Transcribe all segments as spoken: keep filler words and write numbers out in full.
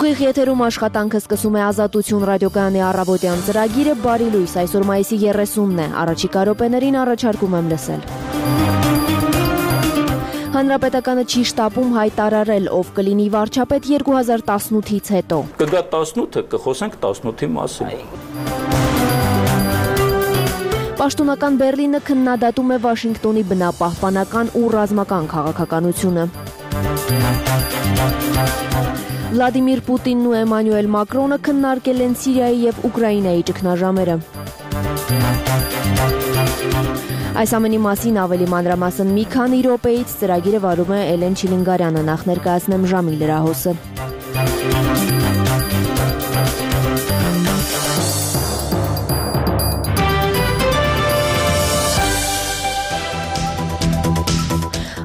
Ուղիղ եթերում աշխատանքը սկսում է Ազատություն ռադիոկայանի առավոտյան ծրագիրը բարի լույս, այսօր մայիսի երեսունն է, առաջիկա րոպեներին առաջարկում եմ լսել։ Հանրապետականը չի շտապում հայտարարել, ով կլինի վարչապետ երկու հազար տասնութից հետո։ Կգա տասնութը, կխոսենք տասնութի մասին։ Պաշտոնական Բեռլինը քննադատում է Վաշինգտոնի բնապահպանական ու ռազմական քաղաքականությունը։ Վլադիմիր Պուտինն ու Էմանուել Մակրոնը քննարկել են Սիրիայի եւ Ուկրաինայի ճգնաժամերը։ Այս ամենի մասին ավելի մանրամասն մի քանի րոպեից ծրագիրը վարում է Էլեն Չիլինգարյանը, նախ ներկայացնեմ ժամի լրահոսը։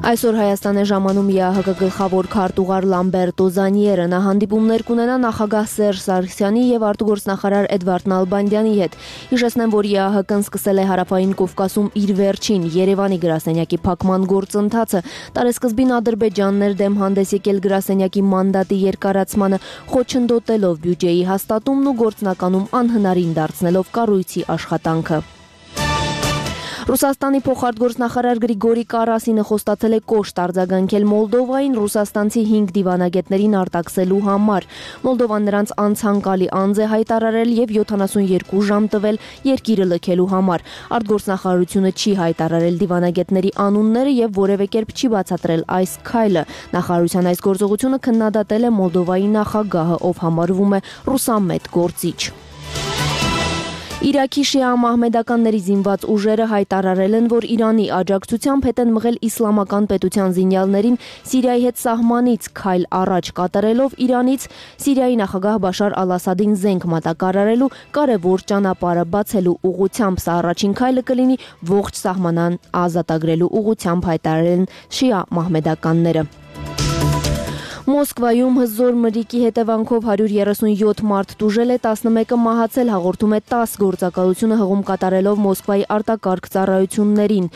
Այսօր Հայաստան է ժամանում ԵԱՀԿ գլխավոր քարտուղար Լամբերտո Զանիերը, նա հանդիպումներ կունենա նախագահ Սերժ Սարգսյանի եւ արտգործնախարար Էդվարդ Նալբանդյանի հետ։ Հիշեցնեմ, որ ԵԱՀԿ-ն սկսել է Հարավային Կովկասում իր վերջին Երևանի գրասենյակի փակման գործընթացը, տարեսկզբին Ադրբեջանն էր դեմ հանդես եկել գրասենյակի մանդատի երկարացմանը, խոչընդոտելով բյուջեի հաստատումն ու գործնականում անհնարին դարձնելով կառույցի աշխատանքը։ Ռուսաստանի փոխարտգործնախարար Գրիգորի Կարասինը խոստացել է կոշտ արձագանքել Մոլդովային ռուսաստանցի հինգ դիվանագետներին արտաքսելու համար։ Մոլդովան նրանց անցանկալի անձ է հայտարարել եւ յոթանասունյոթ ժամ տվել երկիրը լքելու համար։ Արտգործնախարարությունը չի հայտարարել դիվանագետների անունները եւ որևէ կերպ չի բացատրել այս քայլը։ Նախարարության այս գործողությունը քննադատել է Մոլդովայի նախագահը, ով համարվում է ռուսամետ գործիչ։ Իրաքի շիա մահմեդականների զինված ուժերը հայտարարել են, որ Իրանի աջակցությամբ հետ են մղել իսլամական պետության զինյալներին Սիրիայի հետ սահմանից քայլ առաջ կատարելով Իրանից Սիրիայի նախագահ Բաշար Ալ-Ասադին զենք մատակարարելու կարևոր ճանապարհը բացելու ուղղությամբ։ Սա առաջին քայլը կլինի ողջ սահմանան ազատագրելու ուղղությամբ, հայտարարել են շիա մահմեդականները։ Մոսկվայում հզոր մրրիկի հետևանքով հարյուր երեսունյոթ մարդ տուժել է, տասնմեկը մահացել, հաղորդում է տաս գործակալությունը հղում կատարելով Մոսկվայի արտակարգ ծառայություններին։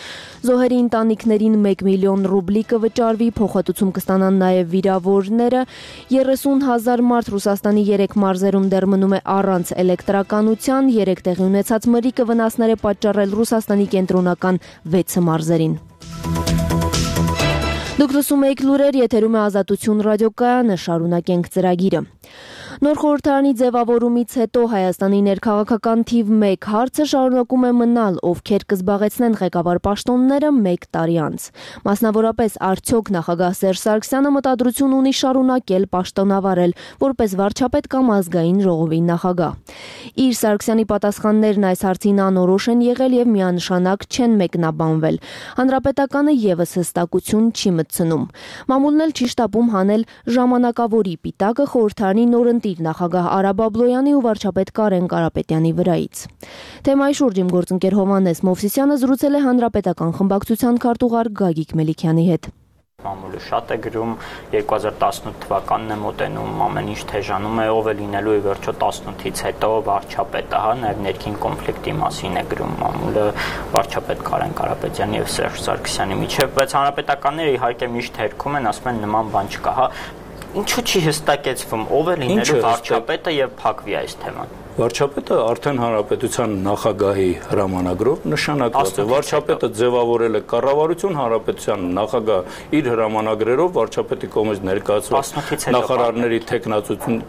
Զոհերի ընտանիքներին մեկ միլիոն ռուբլի կվճարվի, փոխհատուցում կստանան նաև վիրավորները։ երեսուն հազար մարդ Ռուսաստանի երեք մարզերում դեռ մնում է առանց էլեկտրականության, երեք տեղի ունեցած մրրիկը վնասներ է պատճառել Ռուսաստանի կենտրոնական վեց մարզերին։ Դուք լսում եք լուրեր, եթերում է Ազատություն ռադիոկայանը, շարունակենք ծրագիրը։ Նոր խորհրդարանի ձևավորումից հետո Հայաստանի ներքաղաքական թիվ մեկ հարցը շարունակում է մնալ, ովքեր կզբաղեցնեն ղեկավար պաշտոնները մեկ տարի անց։ Մասնավորապես, արդյոք նախագահ Սերժ Սարգսյանը մտադրություն ունի շարունակել պաշտոնավարել որպես վարչապետ կամ ազգային ժողովի նախագահ։ Իր Սարգսյանի պատասխաններն այս հարցին անորոշ են եղել եւ միանշանակ չեն մեկնաբանվել։ Հանրապետականը եւս հստակություն չի մտցնում։ Մամուլն էլ չի շտապում հանել ժամանակավորի պիտակը խորհրդարանի նորընտիր նախագահ Արա Բաբլոյանի ու վարչապետ Կարեն Կարապետյանի վրայից։ Թեմայի շուրջ իմ գործընկեր Հովհաննես Մովսիսյանը զրուցել է Հանրապետական խմբակցության քարտուղար Գագիկ Մելիքյանի հետ։ Մամուլը շատ է գրում, երկու հազար տասնութ թվականն է մոտենում, ամեն ինչ թեժանում է, ով է լինելու ի վերջո տասնութից հետո վարչապետը, հա, նաև ներքին կոնֆլիկտի մասին է գրում մամուլը վարչապետ Կարեն Կարապետյանի եւ Սերժ Սարգսյանի միջեւ, բայց հանրապետականները իհարկե միշտ հերքում են, ասում են նման բան չկա, հա։ Ինչու՞ չի հստակեցվում, ով է լինելու վարչապետը եւ փակվի այս թեման։ Վարչապետը արդեն հանրապետության նախագահի հրամանագրով նշանակված է։ Վարչապետը ձևավորել է կառավարություն, հանրապետության նախագահ իր հրամանագրերով վարչապետի կողմից ներկայացված նախարարների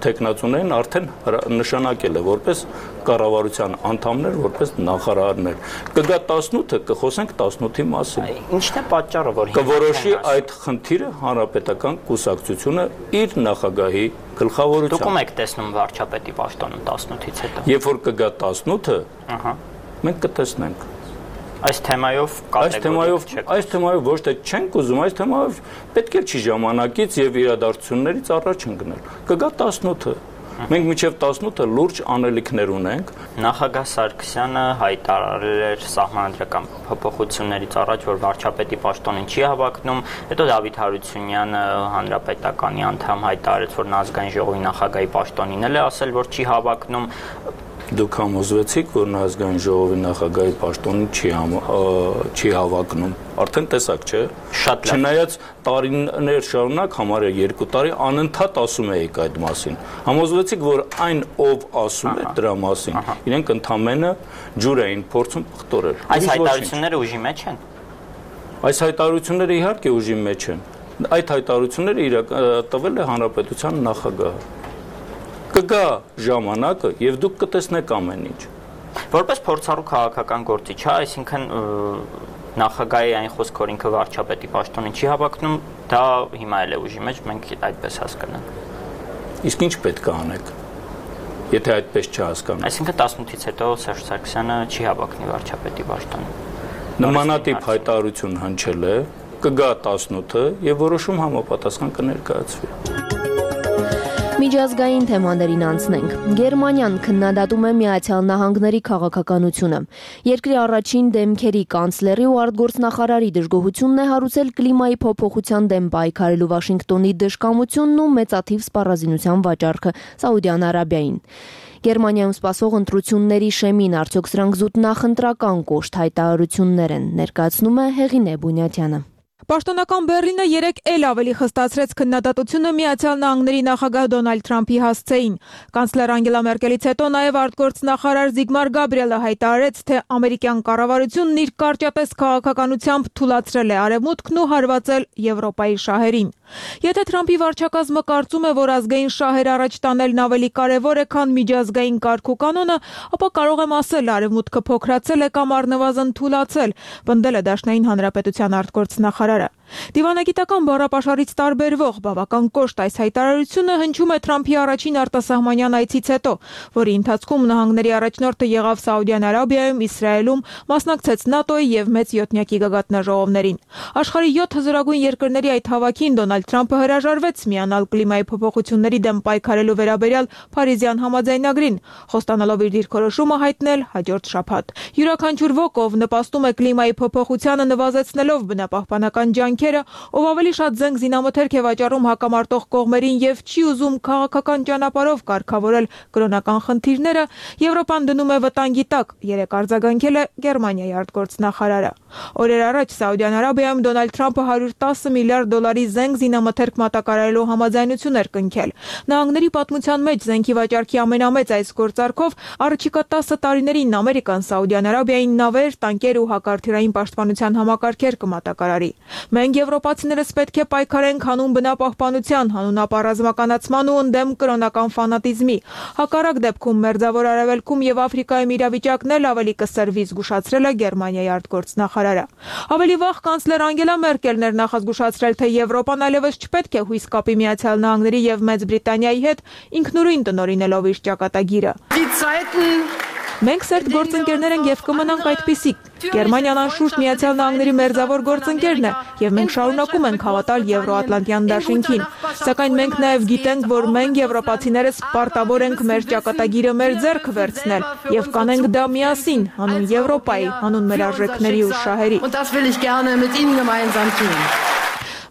թեկնածուներին արդեն նշանակել է որպես կառավարության անդամներ, որպես նախարարներ։ Կգա տասնութը, կխոսենք տասնութի մասին։ Ինչն է պատճառը, որ կորոշի այդ խնդիրը հանրապետական կուսակցությունը իր նախագահի գլխավորությամբ։ Դուք եք տեսնում վարչապետի պաշտոնը տասնութից հետո։ Երբ որ կգա տասնութը, ահա, մենք կտեսնենք։ Այս թեմայով Այս թեմայով, այս թեմայով ոչ թե չենք ուզում, այս թեմայով պետք է չի ժամանակից եւ իրադարձություններից առաջ ընկնել։ Կգա տասնութը։ Մենք մինչև տասնութը լուրջ անելիքներ ունենք։ Նախագահ Սարգսյանը հայտարարել էր սահմանադրական փոփոխություններից առաջ, որ վարչապետի պաշտոնին չի հավակնում, հետո Դավիթ Հարությունյանը հանրապետականի անդամ հայտարարեց, որ նա ազգային ժողովի նախագահի պաշտոնին էլ է ասել, որ չի հավակնում։ Դուք համոզվեցիք, որ Ազգային ժողովի նախագահի պաշտոնին չի համ, չի հավակնում։ Արդեն տեսակ, չէ՞։ Շատ լավ։ Չնայած տարիներ շարունակ համարյա երկու տարի անընդհատ ասում էիք այդ մասին։ Համոզվեցիք, որ այն ով ասում է դրա մասին, իրենք ընդամենը ջուր էին փորձում պղտորել։ Այս հայտարարությունները ուժի մեջ են։ Այս հայտարարությունները իհարկե ուժի մեջ են։ Այդ հայտարարությունները իրակ տվել է հանրապետության նախագահը։ Կգա ժամանակը եւ դուք կտեսնեք ամեն ինչ։ Որպես փորձառու քաղաքական գործիչ, հա, այսինքն նախագահի այն խոսքը, որ ինքը վարչապետի պաշտոնին չի հավակնում, դա հիմա էլ է ուժի մեջ, մենք այդպես հասկանանք։ Իսկ ինչ պետք է անեք, եթե այդպես չհասկանանք։ Այսինքն տասնութից հետո Սերժ Սարգսյանը չի հավակնի վարչապետի պաշտոնին։ Նմանատիպ հայտարարություն հնչել է, կգա տասնութը եւ որոշում համապատասխան կներկայացվի։ Միջազգային թեմաներին անցնենք։ Գերմանիան քննադատում է Միացյալ Նահանգների քաղաքականությունը։ Երկրի առաջին դեմքերի կանցլերի ու արտգործնախարարի դժգոհությունն է հարուցել կլիմայի փոփոխության դեմ պայքարելու Վաշինգտոնի դժկամությունն ու մեծաթիվ սպառազինության վաճառքը Սաուդյան Արաբիային։ Գերմանիայում սպասող ընտրությունների շեմին արդյոք սրանք զուտ նախընտրական կոշտ հայտարարություններ են, ներկայացնում է Հեղինե Բունյատյանը։ Պաշտոնական Բեռլինը երեկ էլ ավելի խստացրեց քննադատությունը Միացյալ Նահանգների նախագահ Դոնալդ Թրամփի հասցեին։ Կանցլեր Անգելա Մերկելից հետո նաև արտգործնախարար Զիգմար Գաբրիելը հայտարարեց, թե ամերիկյան կառավարությունն իր կարճատես քաղաքականությամբ թուլացրել է Արևմուտքն ու հարվածել Եվրոպայի շահերին։ Եթե Թրամփի վարչակազմը կարծում է, որ ազգային շահեր առաջ տանելն ավելի կարևոր է, քան միջազգային կարգ ու կանոնը, ապա կարող եմ ասել, Արևմուտքը փոքրացել է կամ առնվազն թուլացել, պնդել է Դաշնային Հանրապետության արտգործնախարարը։ Դիվանագիտական բառապաշարից տարբերվող բավական կոշտ այս հայտարարությունը հնչում է Թրամփի առաջին արտասահմանյան այցից հետո, որի ընթացքում նահանգների առաջնորդը եղավ Սաուդյան Արաբիայում, Իսրայելում, մասնակցեց ՆԱՏՕ-ի եւ մեծ յոթնյակի գագաթնաժողովներին։ Աշխարհի յոթ հզորագույն երկրների այդ հավաքին Դոնալդ Թրամփը հրաժարվեց միանալ կլիմայի փոփոխությունների դեմ պայքարելու վերաբերյալ Փարիզյան համաձայնագրին, խոստանալով իր դիրքորոշումը հայտնել հաջորդ շաբաթ։ Յուրաքանչյուր ոք, ով նպաստում է կլիմայի փոփոխությանը նվազեցնելով բնապահպանական ջանքերը, ով ավելի շատ զենք զինամթերք է վաճառում հակամարտող կողմերին եւ չի ուզում քաղաքական ճանապարհով կարգավորել կրոնական խնդիրները, Եվրոպան դնում է վտանգի տակ, երեք արձագանքել է Գերմանիայի արտգործնախարարը։ Օրեր առաջ Սաուդյան Արաբիայում Դոնալդ Թրամփը հարյուր տասը միլիարդ դոլարի զենք զինամթերք մատակարարելու համաձայնություն էր կնքել։ Նահանգների պատմության մեջ զենքի վաճառքի ամենամեծ այս գործարքով առաջիկա տասը տարիներին Ամերիկան Սաուդյան Արաբիային նավեր, տանկեր ու հակարդյուրային պաշտպանության համակարգեր կմատակարարի։ Մենք եվրոպացիներս պետք է պայքարենք հանուն բնապահպանության, հանուն ապառազմականացման ու ընդդեմ կրոնական ֆանատիզմի։ Հակառակ դեպքում Մերձավոր Արևելքում եւ Աֆրիկայում իրավիճակն էլ ավելի կսրվի, զգուշացրել է Գերմանիայի արտգործնախարարը։ Ավելի վաղ կանցլեր Անգելա Մերկելն էր նախազգուշացրել, թե Եվրոպան այլևս չպետք է հույս կապի Միացյալ Նահանգների եւ Մեծ Բրիտանիայի հետ, ինքնուրույն տնօրինելով իր ճակատագիրը։ Մենք սերտ գործընկերներ ենք եւ կմնանք այդպիսիք։ Գերմանիան անշուշտ Միացյալ Նահանգների մերձավոր գործընկերն է եւ մենք շարունակում ենք հավատալ Եվրոատլանտյան դաշինքին։ Սակայն մենք նաեւ գիտենք, որ մենք եվրոպացիներս պարտավոր ենք մեր ճակատագիրը մեր ձեռքը վերցնել եւ կանենք դա միասին, հանուն Եվրոպայի, հանուն մեր արժեքների ու շահերի։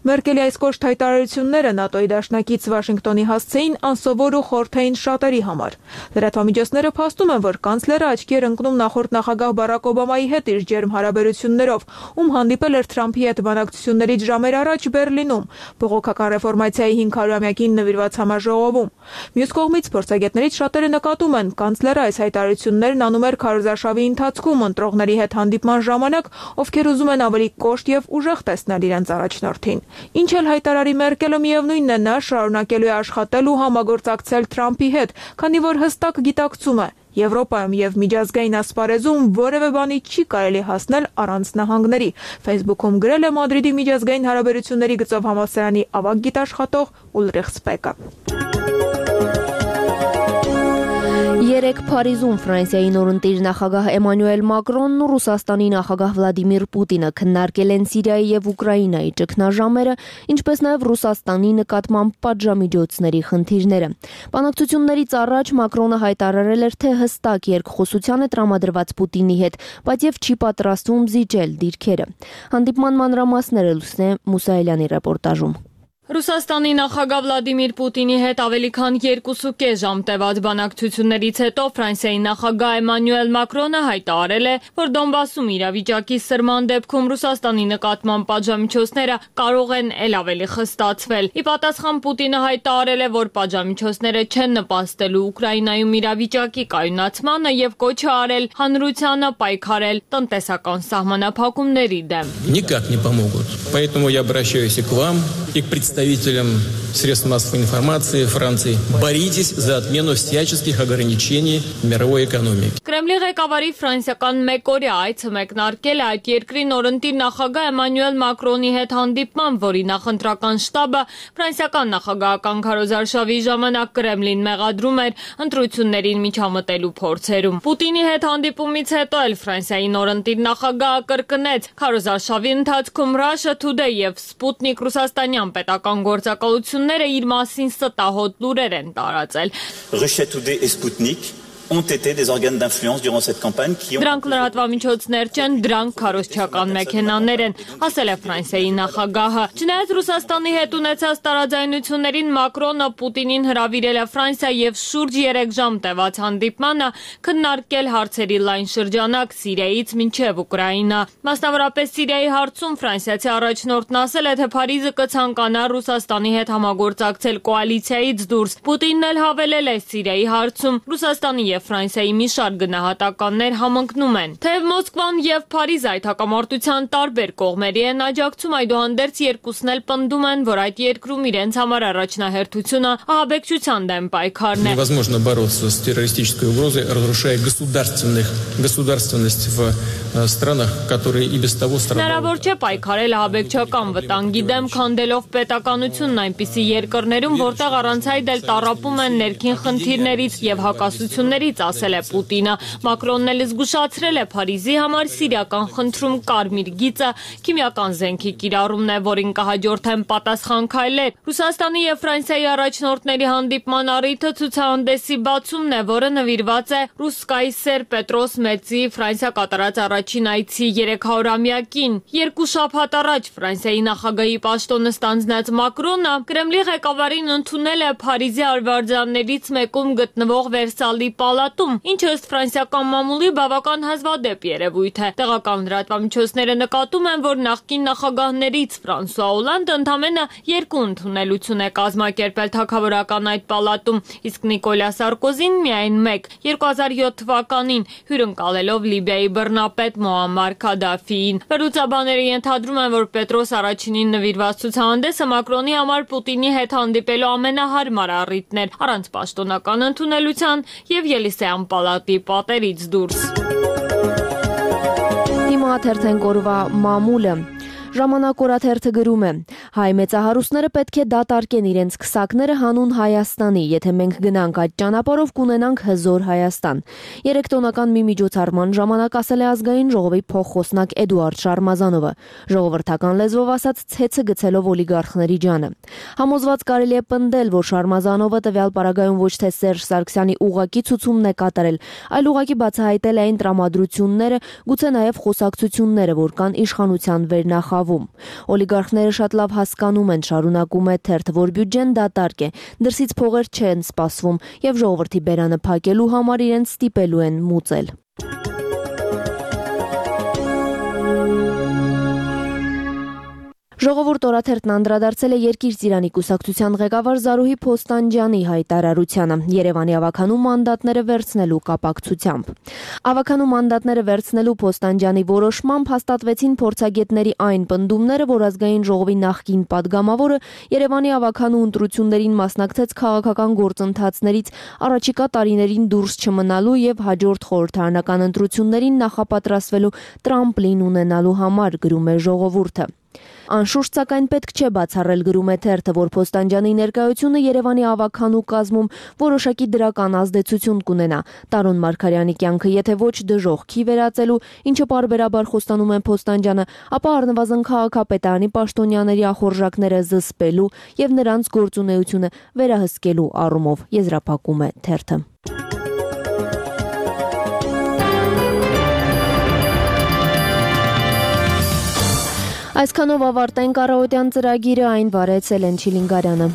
Մերկելի այս կոշտ հայտարարությունները ՆԱՏՕ-ի դաշնակից Վաշինգտոնի հասցեին անսովոր ու խորթային շատերի համար։ Լրատվամիջոցները փաստում են, որ կանցլերը աչքի էր ընկնում նախորդ նախագահ Բարակ Օբամայի հետ իր ջերմ հարաբերություններով, ում հանդիպել էր Թրամփի հետ բանակցություններից ժամեր առաջ Բեռլինում, բողոքական ռեֆորմացիայի հինգ հարյուրամյակին նվիրված համաժողովում։ Մյուս կողմից փորձագետներից շատերը նկատում են, կանցլերը այս հայտարարություններն անում էր քարոզարշավի ընթացքում ընտրողների հետ հանդիպման ժամանակ, ովքեր ուզում են ավելի կոշտ եւ ուժեղ տեսնել իրենց առաջնորդին։ Ինչ էլ հայտարարի Մերկելը, միևնույնն է, նա շարունակելու է աշխատել ու համագործակցել Թրամփի հետ, քանի որ հստակ գիտակցում է, Եվրոպայում եւ միջազգային ասպարեզում որևէ բանի չի կարելի հասնել առանց նահանգների։ Facebook-ում գրել է Մադրիդի միջազգային հարաբերությունների գծով համալսարանի ավագ գիտաշխատող Ուլրիխ Սպեկը։ Երեկ Փարիզում Ֆրանսիայի նորընտիր նախագահ Էմանուել Մակրոնն ու Ռուսաստանի նախագահ Վլադիմիր Պուտինը քննարկել են Սիրիայի եւ Ուկրաինայի ճգնաժամերը, ինչպես նաեւ Ռուսաստանի նկատմամբ պատժամիջոցների խնդիրները։ Բանակցություններից առաջ Մակրոնը հայտարարել էր, թե հստակ երկխոսության է տրամադրված Պուտինի հետ, բայց եւ չի պատրաստվում զիջել դիրքերը։ Հանդիպման մանրամասները Լուսնե Մուսայելյանի ռեպորտաժում։ Ռուսաստանի նախագահ Վլադիմիր Պուտինի հետ ավելի քան երկուսուկես ժամ տևած բանակցություններից հետո Ֆրանսիայի նախագահ Էմանուել Մակրոնը հայտարարել է, որ Դոնբասում իրավիճակի սրման դեպքում Ռուսաստանի նկատմամբ պատժամիջոցները կարող են ել ավելի խստացվել։ Ի պատասխան Պուտինը հայտարարել է, որ պատժամիջոցները չեն նպաստելու Ուկրաինայում իրավիճակի կայունացմանը եւ կոչ է արել հանրությանը պայքարել տնտեսական սահմանափակումների դեմ։ Никак не помогут. Поэтому я обращаюсь и к вам, и к представителям средств массовой информации Франции. Боритесь за отмену всяческих ограничений мировой экономики. Կրեմլի ղեկավարի ֆրանսիական մեկօրյա այցը մեկնարկել է այդ երկրի նորընտիր նախագահ Էմանուել Մակրոնի հետ հանդիպման, որի նախընտրական շտաբը ֆրանսիական նախագահական քարոզարշավի ժամանակ Կրեմլին մեղադրում էր ընտրություններին միջամտելու փորձերում։ Պուտինի հետ հանդիպումից հետո էլ Ֆրանսիայի նորընտիր նախագահը կրկնեց քարոզարշավի ընթացքում Russia Today եւ Sputnik ռուսաստանյան պետական գործակալությունները իր մասին ստահոդ լուրեր են տարածել։ Russia Today et Sputnik ont été des organes d'influence durant cette campagne qui ont Դրանք լրատվամիջոցներ չեն, դրանք քարոզչական մեքենաներ են, ասել է Ֆրանսիայի նախագահը։ Չնայած Ռուսաստանի հետ ունեցած տարաձայնություններին Մակրոնը Պուտինին հրավիրել է Ֆրանսիա եւ շուրջ երեք ժամ տևած հանդիպմանը քննարկել հարցերի լայն շրջանակ Սիրիայից մինչեւ Ուկրաինա։ Մասնավորապես Սիրիայի հարցում ֆրանսիացի առաջնորդն ասել է, թե Փարիզը կցանկանա Ռուսաստանի հետ համագործակցել կոալիցիայից դուրս։ Պուտինն էլ հավելել է Սիրիայի հարցում Ռուսաստանի եւ Ֆրանսիայի մի շարք գնահատականներ համընկնում են։ Թեև Մոսկվան եւ Փարիզը այդ հակամարտության տարբեր կողմերի են աջակցում, այդուհանդերձ երկուսն էլ պնդում են, որ այդ երկրում իրենց համար առաջնահերթությունը ահաբեկչության դեմ պայքարն է։ Невозможно бороться с террористической угрозой, разрушая государственных государственность в странах, которые и без того страдают. Հնարավոր չէ պայքարել ահաբեկչական վտանգի դեմ, քանդելով պետականությունն այնպիսի երկրներում, որտեղ առանց այդ էլ տառապում են ներքին խնդիրներից եւ հակասություններից, ասել է Պուտինը։ Մակրոնն էլ զգուշացրել է Փարիզի համար սիրիական խնդրում կարմիր գիծը քիմիական զենքի կիրառումն է, որին կհաջորդեն պատասխան քայլեր։ Ռուսաստանի եւ Ֆրանսիայի առաջնորդների հանդիպման առիթը ցուցահանդեսի բացումն է, որը նվիրված է ռուս կայսեր Պետրոս Մեծի Ֆրանսիա կատարած առաջին այցի երեքսունամյակին։ Երկու շաբաթ առաջ Ֆրանսիայի նախագահի պաշտոնը ստանձնած Մակրոնը Կրեմլի ղեկավարին ընդունել է Փարիզի արվարձաններից մեկում գտնվող Վերսալի պալատում, ինչը ըստ ֆրանսիական մամուլի բավական հազվադեպ երևույթ է։ Տեղական լրատվամիջոցները նկատում են, որ նախկին նախագահներից Ֆրանսուଆ Օլանդը ընդամենը երկու ընդունելություն է կազմակերպել թագավորական այդ պալատում, իսկ Նիկոլա Սարկոզին միայն մեկ՝ երկու հազար յոթ թվականին հյուրընկալելով Լիբիայի բռնապետ Մոամար Քադաֆիին։ Վերլուծաբանները ենթադրում են, որ Պետրոս առաջինին նվիրված ցուցահանդեսը Մակրոնի համար Պուտինի հետ հանդիպելու ամենահարմար առիթն էր, առանց պաշտոնական ընդունելության եւ Ելիսեյան պալատի պատերից դուրս։ Հիմա թերթենք օրվա մամուլը։ Ժամանակ օրաթերթը գրում է. հայ մեծահարուստները պետք է դատարկեն իրենց քսակները հանուն Հայաստանի, եթե մենք գնանք այդ ճանապարհով կունենանք հզոր Հայաստան։ Երեքտոնական մի միջոցառման ժամանակ ասել է ազգային ժողովի փոխխոսնակ Էդուարդ Շարմազանովը, ժողովրդական լեզվով ասած ցեցը գցելով օլիգարխների ջանը։ Համոզված կարելի է պնդել, որ Շարմազանովը տվյալ պարագայում ոչ թե Սերժ Սարգսյանի ուղղակի ցուցումն է կատարել, այլ ուղղակի բացահայտել է այն տրամադրությունները, գուցե նաև խոսակցությունները, որ կան իշխանության վերնախավ։ Օլիգարխները շատ լավ հասկանում են, շարունակում է թերթը, որ բյուջեն դատարկ է, դրսից փողեր չեն սպասվում եւ ժողովրդի բերանը փակելու համար իրենց ստիպելու են մուծել։ Ժողովուրդ օրաթերթն անդրադարձել է Երկիր Ծիրանի կուսակցության ղեկավար Զարուհի Փոստանջյանի հայտարարությանը Երևանի ավականու մանդատները վերցնելու կապակցությամբ։ Ավականու մանդատները վերցնելու Փոստանջյանի որոշմամբ հաստատվեցին փորձագետների այն պնդումները, որ ազգային ժողովի նախկին падգամավորը Երևանի ավականու ընտրություններին մասնակցեց քաղաքական գործընթացներից առաջիկա տարիներին դուրս չմնալու եւ հաջորդ խորհրդարանական ընտրություններին նախապատրաստվելու տրամպլին ունենալու համար, գրում է Ժողովուրդը։ Անշուշտ սակայն պետք չէ բացառել, գրում է թերթը, որ Փոստանջյանի ներկայությունը Երևանի ավականու կազմում որոշակի դրական ազդեցություն կունենա Տարոն Մարգարյանի կյանքը, եթե ոչ դժոխքի վերածելու, ինչը պարբերաբար խոստանում է Փոստանջյանը, ապա առնվազն քաղաքապետարանի պաշտոնյաների ախորժակները զսպելու եւ նրանց գործունեությունը վերահսկելու առումով, եզրափակում է թերթը։ Այսքանով ավարտենք առավոտյան ծրագիրը, այն վարեց Էլեն Չիլինգարյանը։